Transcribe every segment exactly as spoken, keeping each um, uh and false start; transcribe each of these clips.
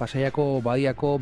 Pasaiako badiako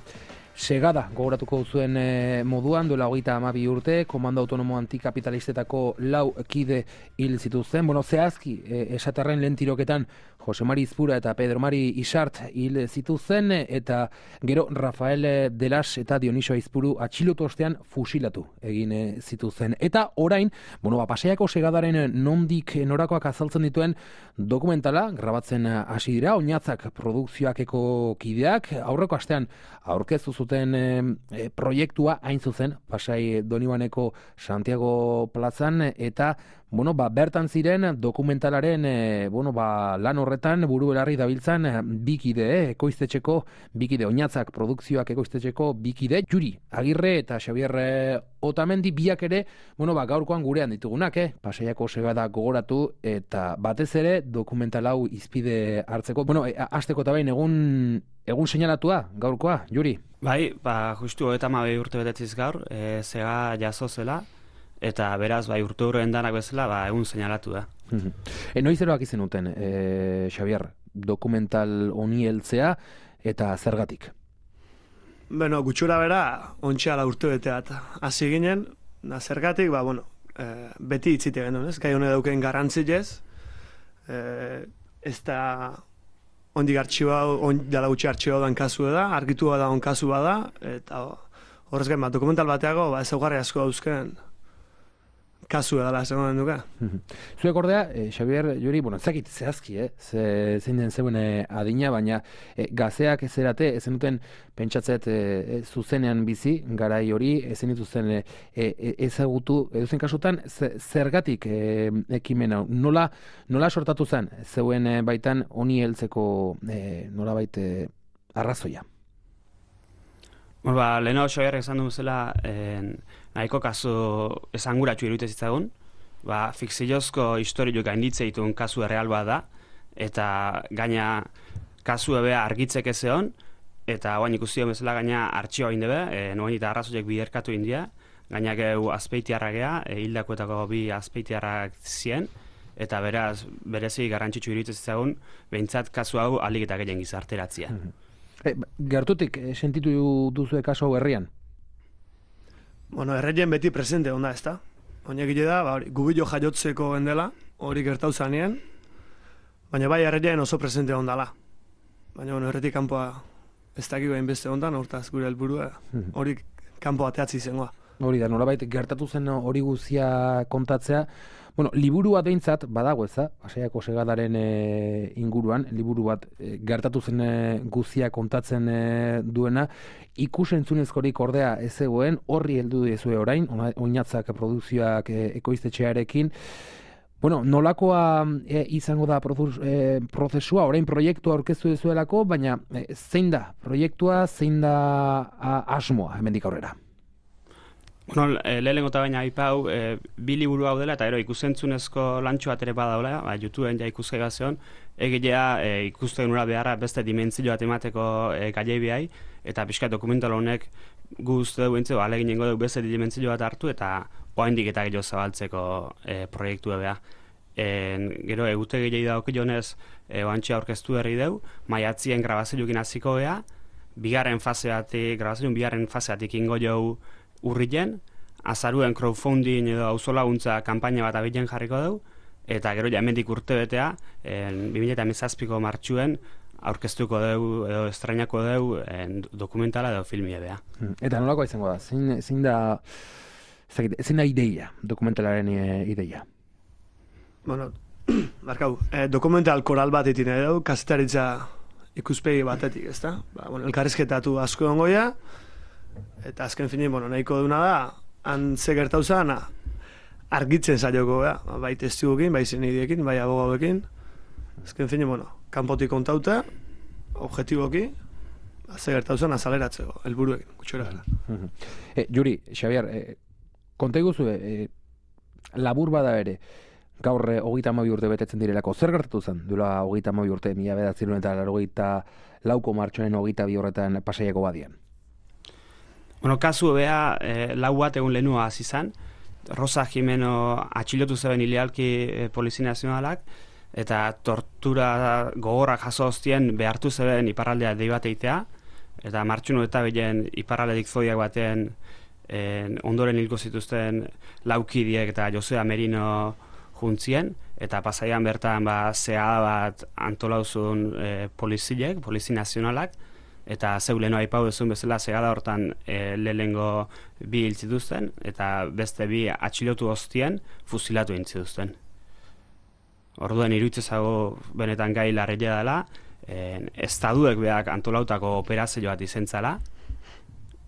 segada gogoratuko zuen e, moduan, duela hogeita hamabi urte, komando autonomo antikapitalistetako lau kide hil zituzten. Bueno, zehazki, e, esaterren lehen tiroketan Jose Mari Izpura eta Pedro Mari Isart hil zituzten, eta gero Rafael Delas eta Dionisio Aizpuru atxilotu ostean fusilatu egin zituzten. Eta orain, bueno, ba, Pasaiako segadaren nondik norakoak azaltzen dituen dokumentala grabatzen hasi dira, Oinatzak produkzioakeko kideak, aurreko astean aurkeztu zuten e, proiektua hain zuzen Pasai Donibaneko Santiago plazan, eta bueno, ba, bertan ziren dokumentalaren e, bueno, ba, lan horretan buru belarri dabiltzan bikide, eh, ekoiztetxeko bikide, Oinatzak produkzioak ekoiztetxeko bikide, Juri Agirre eta Xabier Otamendi, biak ere, bueno, ba, gaurkoan gurean ditugunak, eh, Pasaiako segada gogoratu eta batez ere dokumental hau izpide hartzeko. Bueno, e, hasteko eta behin egun egun seinalatua gaurkoa, Juri. Bai, ba, justu hogeita hamabi urte betetziz gaur, e, zega jaso zela, eta beraz, bai, urte horren danak bezala, ba, egun seinalatu da. e, noiz eroak izen uten, e, Xabier, dokumental honi heltzea eta zergatik? Bueno, gutxura bera, ontxeala urte bete bat. Hasi ginen, da zergatik, ba, bueno, e, beti itzite genuen, ez? Gai hone dauken garrantzilez, e, ez da ondik artxiba, on, dala gutxi artxiba dan kasu da, argitu da on kasu bada, eta horrez gain, ba, dokumental bateago, ba, ezaugarri asko dauzken kasu edala esan duka. Zuek ordea, eh, Xabier, Juri, bueno, ezakit zehazki, eh? Ze, zein den zeuen eh, adina, baina eh, gazeak ez erate, ezen duten pentsatzet eh, zuzenean bizi, garai hori, ezen dituzten eh, eh, ezagutu, edozen kasutan, zergatik eh, ekimen hau, nola, nola sortatu zen, zeuen eh, baitan honi heltzeko eh, nola baite arrazoia? Bueno, ba, leheno Xabier esan du zela, eh, nahiko kasu esanguratsu iruditez zitzagun, ba, fikziozko historioak gainditze dituen kasu erreal bat da, eta gaina kasu ebea argitzek ezeon, eta guain ikusi bezala gaina artxioa indebe, e, noen eta arrazoiek biderkatu india, gaina geu azpeitiarra gea, e, hildakoetako bi azpeitiarrak zien, eta beraz, berezi garrantzitsu iruditez zitzagun, behintzat kasu hau alik eta gehien gizarteratzia. E, gertutik, e, sentitu duzu kasu hau herrian? Bueno, erreien beti presente onda, ez da? Oinak gile da, ba, gubilo jaiotzeko gendela, hori gertau zanien, baina bai erreien oso presente ondala. Baina, bueno, erretik kanpoa ez dakiko hainbeste ondan, hortaz gure helburua, hori kanpo bateatzi izangoa. Hori da, nolabait gertatu zen hori guzia kontatzea. Bueno, liburu bat behintzat badago eza, Pasaiako segadaren e, inguruan, liburu bat e, gertatu zen e, guzia kontatzen e, duena, ikusentzunezkorik ordea ez zegoen, horri heldu dizue orain, Oinatzak produkzioak e, ekoiztetxearekin. Bueno, nolakoa e, izango da e, prozesua, orain proiektua aurkeztu dizuelako, baina e, zein da proiektua, zein da a, asmoa hemendik aurrera? Bueno, e, lehenengo eta baina aipau, e, bi liburu hau dela, eta ero ikusentzunezko lantxo bat ere badaula, ba, YouTubeen ja ikusgai bazeon, egilea e, ikusten ura beharra beste dimentzio bat emateko e, gaiei behai, eta pixka dokumental honek guztu dugu entze, ba, alegin jengo dugu beste dimentzio bat hartu, eta oaindik eta gehiago zabaltzeko e, proiektu ebea. E, gero, egute gehiago dauk jonez, e, oantxe aurkeztu herri dugu, maiatzien grabazioekin hasiko gea, bigarren fase batik, grabazioen bigarren fase batik ingo jau urrilen, azaruen crowdfunding edo auzolaguntza kanpaina bat abilen jarriko dugu, eta gero hemendik urte betea, bi mila hamazazpiko martxuen, aurkeztuko dugu edo estrainako dugu dokumentala edo filmia bea. Eta nolakoa izango da? Zein, zein da, zein da ideia, dokumentalaren ideia? Bueno, barkau, eh, dokumental koral bat itin edo, kazetaritza ikuspegi batetik, ez da? Ba, bueno, elkarrizketatu asko ongoia, eta azken finin, bueno, nahiko duna da, han ze gertau zana, argitzen zaioko, ja? Bai testiguekin, bai zenidiekin, bai abogauekin. Azken finin, bueno, kanpotik kontauta, objetiboki, ze gertau zana azaleratzeko, helburuekin, gutxora gara. E, Juri, Xabier, e, konta iguzu, e, labur bada ere, gaur hogeita hamabi urte betetzen direlako, zer gertatu zen? Duela hogeita hamabi urte, mila bederatziehun eta laurogeita lauko martxoaren hogeita bi horretan Pasaiako badian. Bueno, kasu bea, e, lau bat egun lehenua hasi izan, Rosa Jimeno atxilotu zeben ilealki e, Polizia Nazionalak, eta tortura gogorrak jaso hostien behartu zeben iparraldea dei bat eitea, eta martxun eta bilen iparraledik zodiak batean en, ondoren hilko zituzten laukidiek eta Josea Merino juntzien, eta pasaian bertan ba, zehada bat antolauzun e, polizilek, polizi nazionalak, eta zeu leheno aipau duzun bezala zehada hortan e, lehengo bi hil zituzten, eta beste bi atxilotu hostien fusilatu egin zituzten. Orduen iruditzezago benetan gai larria dela, en, estaduek beak antolautako operazio bat izentzala,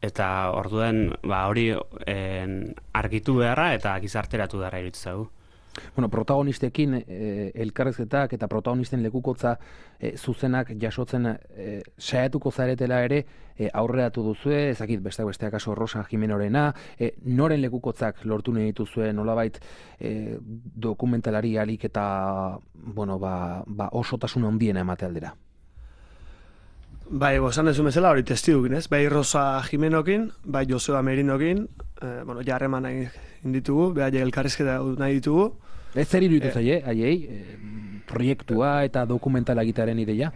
eta orduen ba, hori en, argitu beharra eta gizarteratu beharra iruditzezago. Bueno, protagonistekin eh, elkarrezketak eta protagonisten lekukotza eh, zuzenak jasotzen eh, saiatuko zaretela ere eh, aurreratu duzue, ezakit besteak besteak kaso Rosa Jimenorena, eh, noren lekukotzak lortu nahi dituzue nolabait eh, dokumentalari alik eta bueno, ba, ba osotasun handiena emate aldera. Bai, esan dezu bezala hori testidukin, ez? Bai Rosa Jimenokin, bai Joseba Merinokin, eh, bueno, jarreman nahi inditugu, behar elkarrizketa nahi ditugu. Ez zer iruditu zaie, haiei, eh, proiektua eta dokumentala egitearen ideia?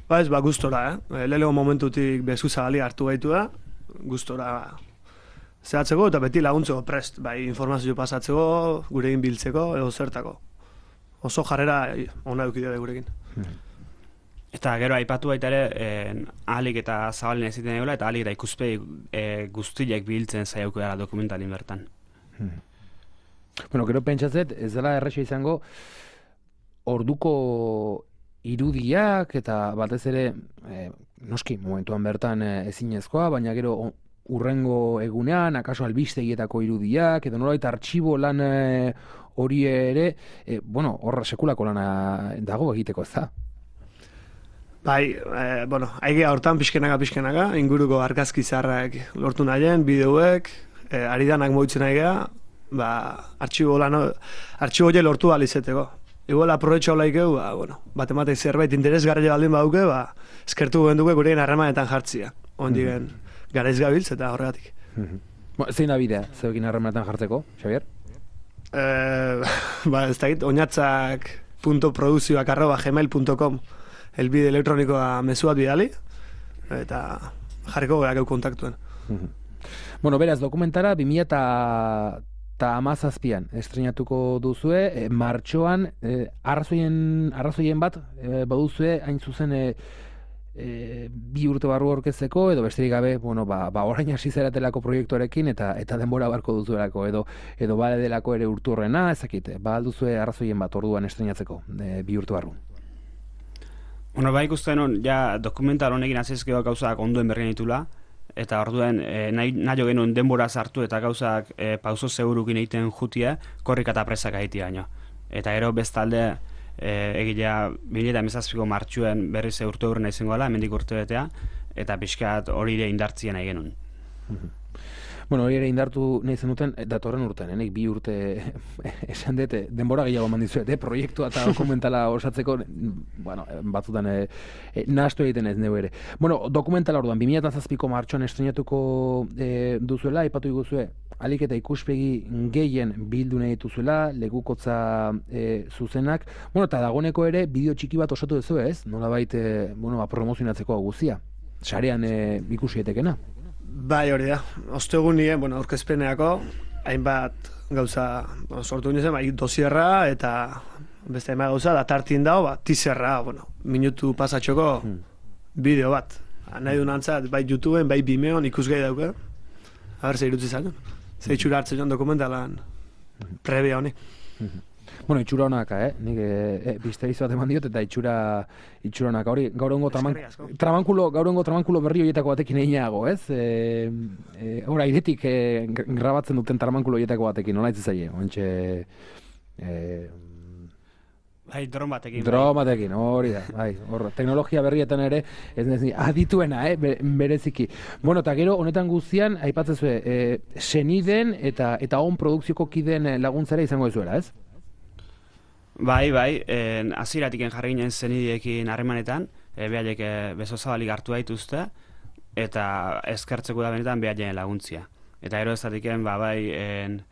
Ba ez, ba, gustora, eh? Lelego momentutik bezu zabali hartu gaitu da, gustora zehatzeko eta beti laguntzeko prest, bai informazio pasatzeko, gurekin biltzeko, edo zertako. Oso jarrera ona eukidea gurekin. Hmm. Eta gero aipatu baita ere, eh, ahalik eta zabalen eziten egola, eta ahalik eta ikuspegi eh, guztiak biltzen zaiauko dara dokumentalin bertan. Hmm. Bueno, gero pentsatzet, ez dela erresa izango, orduko irudiak eta batez ere, eh, noski, momentuan bertan eh, ezinezkoa, baina gero urrengo egunean, akaso albistegietako irudiak, edo nolabait artxibo lan eh, hori ere, eh, bueno, horra sekulako lana dago egiteko, ez da? Bai, eh, bueno, aigea hortan pixkenaga pixkenaga, inguruko argazki zaharrak lortu nahien, bideoek, eh, aridanak moitzen aigea, ba, artxibo lan, artxibo hori lortu alizeteko. Igual aprobetxo laikeu, ba, bueno, bat ematek zerbait interesgarria baldin baduke, ba, eskertu genduke gurein harremanetan jartzia. Ondigen, mm-hmm. garaiz gabiltz eta horregatik. Mm-hmm. Zein da bidea, zeukin harremanetan jartzeko, Xabier? Eh, ba, ez da git, oinatzak punto produzioak arroba gmail punto com elbide elektronikoa mezuat bidali, eta jarriko gehiago kontaktuen. Mm-hmm. Bueno, beraz, dokumentara bi mila eta hamazazpian estrenatuko duzue, e, martxoan, e, arrazoien, arrazoien bat, e, baduzue, hain zuzen, e, e, bi urte barru aurkezteko, edo besterik gabe, bueno, ba, ba orain hasi zaratelako proiektuarekin, eta eta denbora barko duzuelako, edo edo bale delako ere urturrena, ezakit, ba alduzue arrazoien bat orduan estrenatzeko, e, bi urte barru. Bueno, bai ikusten hon, ja dokumental honekin azizkeo gauzak ondoen bergen ditula, eta orduen e, nahi, nahi genuen denbora sartu eta gauzak e, pauso segurukin egiten jutia, korrika eta presak egitea baino. Eta gero bestalde e, egilea bi mila hamazazpiko martxuen berriz urte hurren izango dela, hemendik urte betea, eta pixkat hori ere indartzien nahi genuen. Bueno, hori ere indartu nahi zen duten, datorren urtean, nik bi urte esan dute, denbora gehiago eman dizuet, eh? Proiektua eta dokumentala osatzeko, bueno, batzutan eh, eh, nahastu egiten ez neu ere. Bueno, dokumentala orduan, bi mila hamazazpiko martxoan estrenatuko eh, duzuela, aipatu iguzue, alik eta ikuspegi gehien bildu nahi dituzuela, legukotza eh, zuzenak, bueno, eta dagoneko ere, bideo txiki bat osatu duzu ez, nolabait, eh, bueno, promozionatzeko guztia, sarean eh, ikusi etekena. Bai, hori da. Ostegun nien, bueno, aurkezpeneako, hainbat gauza bueno, sortu nintzen, bai, dosierra eta beste hainbat gauza, da tartin dago, ba, tizerra, bueno, minutu pasatxoko hmm. bideo bat. Nahi duen antzat, bai YouTubeen, bai Vimeon ikusgai dauke. Haber, ze irutzi zaten. Ze itxura hartzen joan dokumentalan prebia honi. Bueno, itxura honaka, eh? Nik e, e, biste bat eman diot eta itxura itxura honaka. Hori, gaurengo traman, tramankulo, gaurengo tramankulo berri horietako batekin eginago, ez? E, e, Hora, iretik e, grabatzen duten tramankulo horietako batekin, nola ez zaie? Ontxe... E, bai, dron batekin. Dron batekin, hori da. Bai, hor, teknologia berrietan ere, ez nezi, adituena, eh? Bereziki. Bueno, eta gero, honetan guztian, aipatzezue, e, seniden eta eta on produkzioko kideen laguntzara izango ezuela, ez? Bai, bai, eh, aziratiken jarri ginen zenidiekin harremanetan, eh, behaiek eh, beso zabalik hartu daituzte, eta eskertzeko da benetan behaien laguntzia. Eta gero ez datiken, ba, bai, en,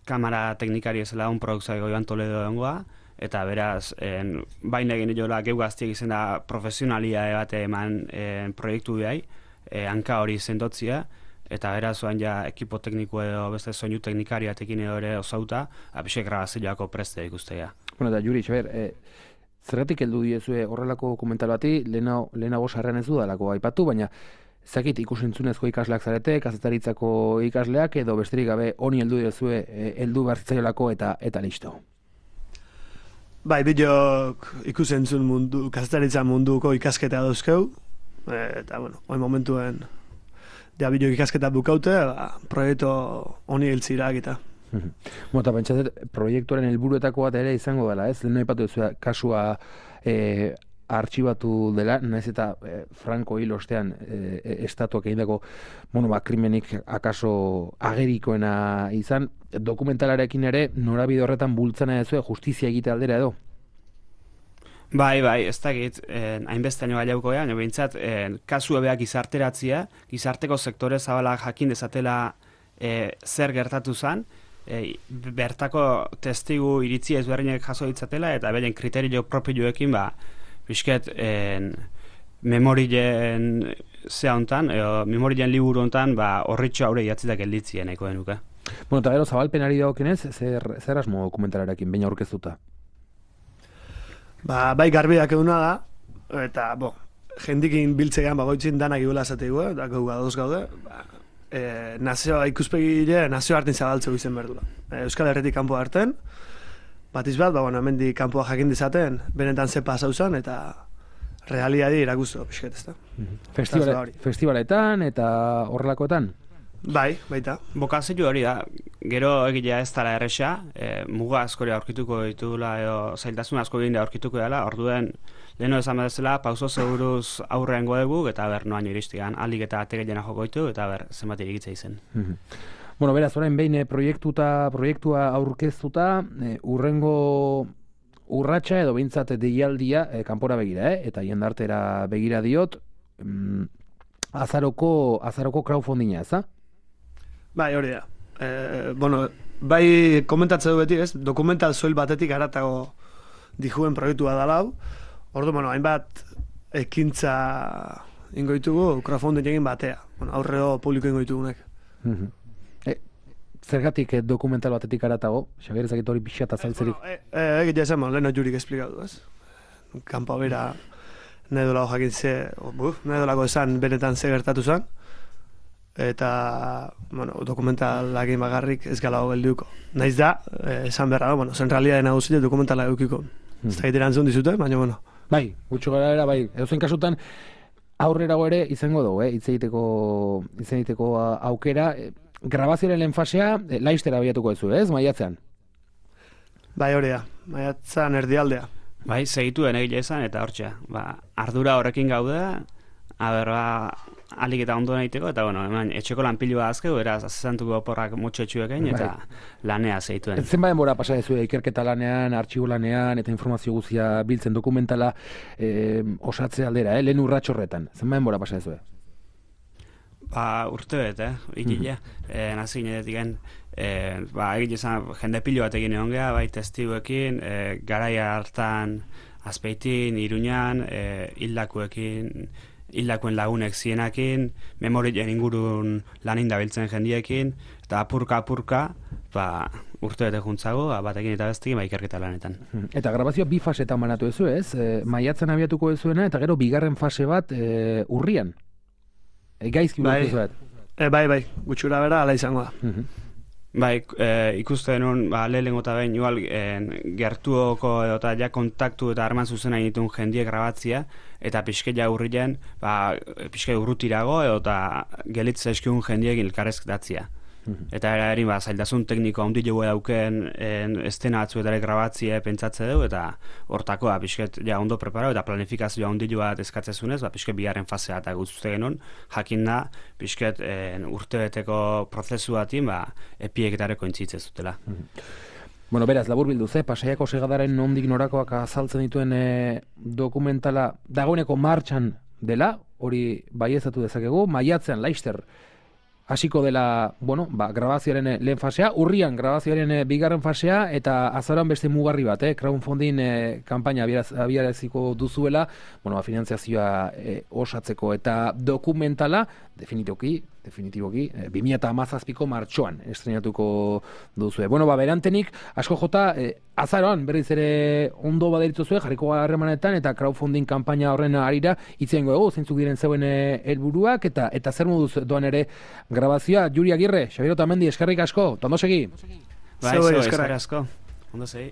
kamera teknikari ez lagun produkzioa Joan Toledo dengoa, eta beraz, en, baina egin jola geu gaztiek izan da profesionalia bate eman en, proiektu behai, e, hanka hori sendotzia, eta beraz oan ja ekipo tekniko edo beste soinu teknikari batekin edo ere osauta, apixek grabazioako preste ikustea. Bueno, da, Juri, Xaber, e, zergatik heldu diezue horrelako komentar bati, lehenago sarrean ez dudalako aipatu, baina zakit ikusentzunezko ikasleak zarete, kazetaritzako ikasleak, edo besterik gabe honi heldu diezue, heldu barzitzaiolako eta eta listo. Bai, bideok ikusentzun mundu, kazetaritza munduko ikasketa dauzkeu, eta, bueno, hori momentuen, ja bideok ikasketa bukaute, ba, proiektu honi hiltzirak eta. Bueno, eta pentsatzen, proiektuaren helburuetako bat ere izango dela, ez? Lehen aipatu duzu kasua e, artxibatu dela, naiz eta e, Franco hil ostean e, estatuak egindako, bueno, ba, krimenik akaso agerikoena izan, dokumentalarekin ere norabide horretan bultzana duzu justizia egite aldera edo? Bai, bai, ez dakit, eh, hainbeste nio gaiauko ea, nio behintzat, eh, kasu ebeak gizarteratzia, gizarteko sektore zabalak jakin dezatela eh, zer gertatu zen, eh, bertako testigu iritzi ezberdinak jaso ditzatela, eta beren kriterio propioekin, ba, bizket, eh, memorien zea hontan, edo memorien liburu hontan, ba, horritxo haure idatzitak gelditzien, eko denuke. Bueno, eta gero zabalpenari dagokenez, zer, zer asmo dokumentalarekin, baina aurkeztuta? Ba, bai garbiak eguna da, eta, bo, jendikin biltzean bagoitzin danak igula zateigu, eta gau gadoz gaude, ba, e, nazioa ikuspegile, nazio hartin zabaltzeu izen berdula. E, Euskal Herretik kanpo harten, bat izbat, ba, bueno, hemendik kanpoa jakin dizaten, benetan ze pasau zen, eta realiadi irakustu, pixket, ez da. Festival, festivaletan eta horrelakoetan? Bai, baita. Bokazio hori da, gero egitea ez dara erresa, e, muga askori aurkituko ditugula, edo zailtasun asko egin da aurkituko dela, orduen leheno esan bezala, pauso seguruz aurrean godegu, eta ber, noaino iristigan, alik eta ategeena joko ditu, eta ber, zenbat irikitza izen. Bueno, beraz, orain behin proiektuta, proiektua aurkeztuta, e, urrengo urratsa edo behintzat deialdia e, kanpora begira, eh? Eta jendartera begira diot, mm, azaroko, azaroko crowdfundinga, ez da? Bai, hori da. E, bueno, bai komentatzen du beti, ez? Dokumental soil batetik haratago dijuen proiektua da lau. Ordu, bueno, hainbat ekintza ingoitugu crowdfunding egin batea. Bueno, aurreo publiko ingoitugunek. Mm-hmm. e, zergatik eh, dokumental batetik haratago? Xabier, ezakit hori pixat azaltzerik. Eh, bueno, e, e, egitea esan, leheno jurik esplikatu, ez? Kampo bera nahi dolako jakin ze, buf, nahi dolako esan benetan ze gertatu zen. Eta, bueno, dokumentalak egin bagarrik ez gala geldiuko. Naiz da, eh, esan berra, bueno, zen realidade nagusia dokumentala eukiko. Hmm. Ez da egiteran zuen dizute, baina, bueno. Bai, gutxo gara era, bai. Edo zen kasutan, aurrerago ere izango dugu, eh? Hitz egiteko, hitz egiteko aukera. Grabazioaren lehen fasea, eh, laiztera abiatuko duzu, ez? Maiatzean? Bai, hori da. Maiatzean erdialdea. Bai, segituen egile izan, eta hortxe. Ba, ardura horrekin gaude, aber, ba, alik eta ondo nahiteko, eta bueno, eman, etxeko lanpilua azkeu, eraz, azizantuko oporrak motxetxuekin, eta bai, lanea zeituen. Zenba denbora pasa dezu, ikerketa lanean, artxibo lanean, eta informazio guztia biltzen dokumentala eh, osatze aldera, eh, lehen urratxo horretan. Zenba denbora pasa dezu? Ba, urte bet, eh, ikile, mm-hmm. eh, nazi ginetetik eh, ba, egin izan, jende pilo bat egin egon geha, bai, testiguekin, eh, garaia hartan, Azpeitin, Iruñan, eh, hildakuekin, hildakoen lagunek zienakin, memorien ingurun lanin dabiltzen jendiekin, eta apurka-apurka, ba, urte bete juntzago, batekin eta bestekin, ba, ikerketa lanetan. Eta grabazioa bi fasetan banatu ezu, ez? E, maiatzen abiatuko ezuena, eta gero bigarren fase bat e, urrian. E, gaizki bai, bat. E, bai, bai, gutxura bera, ala izango da. Uh-huh. Bai, e, ikusten nun, ba, lehenengo eta behin, igual, e, gertuoko eta ja kontaktu eta arman zuzena ditun jendie grabatzia, eta pixkeia urrien, ba, pixkeia urrutirago, eta gelitza eskiun jendiekin elkarrezketatzia. Mm-hmm. Eta eri, ba, zailtasun tekniko handi jo dauken estena batzuetare grabatzia pentsatze dugu, eta hortako, ba, pixket, ja, ondo preparau, eta planifikazioa handi jo bat eskatzezunez, ba, pixket bigarren fasea eta guztute genuen, jakin da, pixket, urtebeteko prozesu batin, ba, epieketareko intzitzez dutela. Mm-hmm. Bueno, beraz, labur bildu, ze, Pasaiako segadaren nondik norakoak azaltzen dituen e, dokumentala dagoeneko martxan dela, hori baiezatu dezakegu, maiatzean, Laister, hasiko dela, bueno, ba, grabazioaren lehen fasea, urrian grabazioaren bigarren fasea, eta azaroan beste mugarri bat, eh? crowdfunding eh, kampaina abiaraziko duzuela, bueno, finanziazioa eh, osatzeko, eta dokumentala, definitiboki, definitiboki, eh, bi mila hamazazpiko martxoan estrenatuko duzue. Bueno, ba, berantenik, asko jota, eh, azaroan berriz ere ondo baderituzue, jarriko harremanetan, eta crowdfunding kampaina horren arira, itzen goegu, zeintzuk diren zeuen helburuak eta eta zer moduz doan ere grabazioa. Juri Agirre, Xabier Otamendi, eskerrik asko, ondo segi. Bai, eskerrik asko, ondo segi.